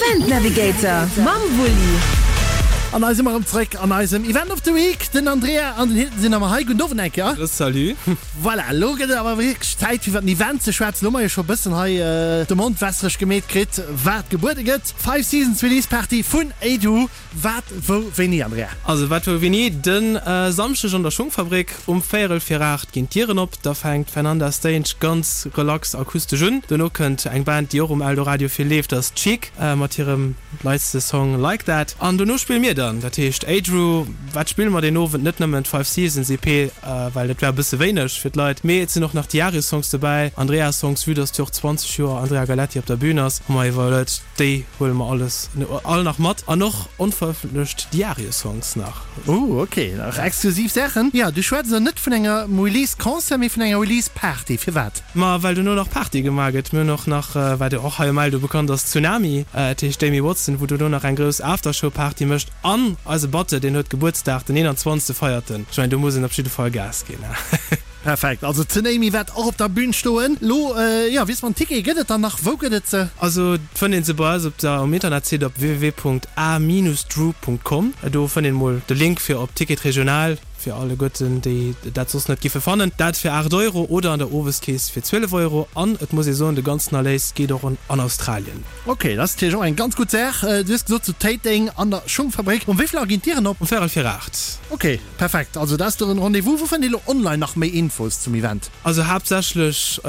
Event Navigator mam Wulli. An hei si mer erëm zréck an eisem Event of the Week. Den Andrea an den Hilton sinn nach mat hei. Gudden Owend eng Kéier. Salut. Voilà, elo gëtt et awer wierklech Zäit fir iwwer den Event ze schwätzen. Elo hu mer jo scho e bëssen hei de Mond wässereg gemeet kritt, wat gebuede gëtt. Five Seasons Release Party vun Adu. Wat, wou, wéini, Andrea? Also wat, wou, wéini? De Samschdeg an der Schungfabrik um véierel vir 8 ginn d'Dieren op. Da fänkt d'Fernanda Stange ganz relax akustesch un. Dono kënnt eng Band, déi och um Eldoradio vill leeft, dat ass Chic mat hirem neitste Song Like That. An dono spille mir dann, dat heescht Adru. Wat spille mer deen Owend? Net nëmmen d'Five Seasons EP, well dat wär e bësse wéineg fir d'Leit, mee et sinn och nach Diario-Songs dobäi, Andrea-Songs, vue dass jo och 20 Joer Andrea Galleti op der Bün ass, hu mer iwwerluet, Déi huele mer alles all nach mat an och onverëffentlecht Diario-Songs nach. Ooh ok, nach exklusiv Saachen. Jo, du schwätz elo net vun engem Release-Concert, mee vun enger Release-Party. Firwat? Ma well dono nach Party gemaach gëtt. Mir hunn och nach, wat jo och hei um Eldo bekannt ass, Tsunami, dat heescht d'Amy Watson, wou dono nach eng grouss Aftershow-Party mécht. An eise Batte, deen huet Gebuertsdag, den 21. feiert en. Ech mengen, do muss een op jidde Fall Gas ginn. Perfekt, also d'Tsunami wäert och op der Bühn stoen. Lo, jo, wiss man, Tickete gëtt et dann nach? Wou gëtt et se? Also fënnt een se bei eis op der um Internetsite op www.a-drew.com. Do fënnt een mol de Link fir op Ticket Regional fir alleguerten déi dat soss net giffe fannen. Dat fir 8 Euro oder an der Oweskeess fir 12 Euro. An et muss ee soen, de ganzen Erléis geet och an Australien. Ok, dat ass natierlech och eng ganz gutt Saach. Du hues gesot zu Téiteng an der Schungfabrik. Um wéi vill Auer ginn d'Dieren op? Um véierel vir 8. Ok. Perfekt, also dat ass den Rendez-vous. Wou fënnt ee lo online nach méi Infos zum Event? Also haaptsächlech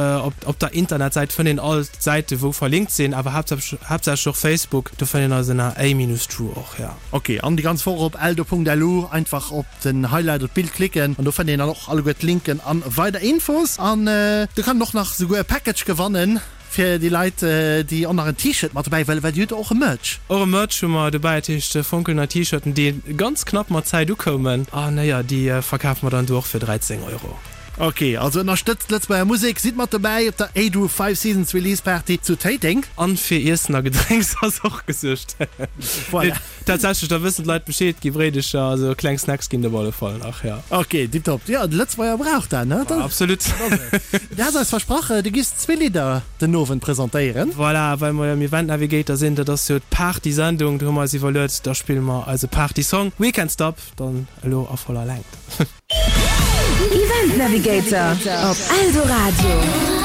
op der Internetsäit fënnt een all d'Säite wou verlinkt sinn, awer haaptsächlech och Facebook, do fënnt een eis ënner a-true och, jo. Ok, an déi ganz Woch op eldo.lu einfach op den Highlight oder d'Bild klicken an do fënnt een dann och alleguer d'Linken an weider Infos. An do kann een och nach souguer e Package gewannen. Fir déi Leit déi och nach en T-Shirt mat dobäi wëllen, well dir hutt och e Merch. Och e Merch hu mer dobäi, dat heescht fonkelnei T-Shirten déi ganz knapp mat Zäit ukoumen an jo déi verkafe mer dann do och fir 13 Euro. Ok, also ënnerstëtzt d'Lëtzebuerger Musek, sidd mat dobäi op der Adru Five Seasons Release Party zu Téiteng. An fir Iessen a Gedrénks ass och gesuergt. Voilà. Tatsächlech, da wëssen d'Leit Bescheed, gi Bréidecher, also kleng Snacks ginn et op alle Fall nach, jo. Ok, tiptop. Jo, de Lëtzebuerger brauch dat, ne? Absolut. Du has eis versprach, du giffs zwee Lidder den Owend presentéieren. Voilà, well mer jo am Event Navigator sinn, dat ass jo d'Party-Sendung, do hu mer eis iwwerluet, da spille mer eise Party-Song We Can't Stop dann elo a voller Längt. Event Navigator op Eldoradio.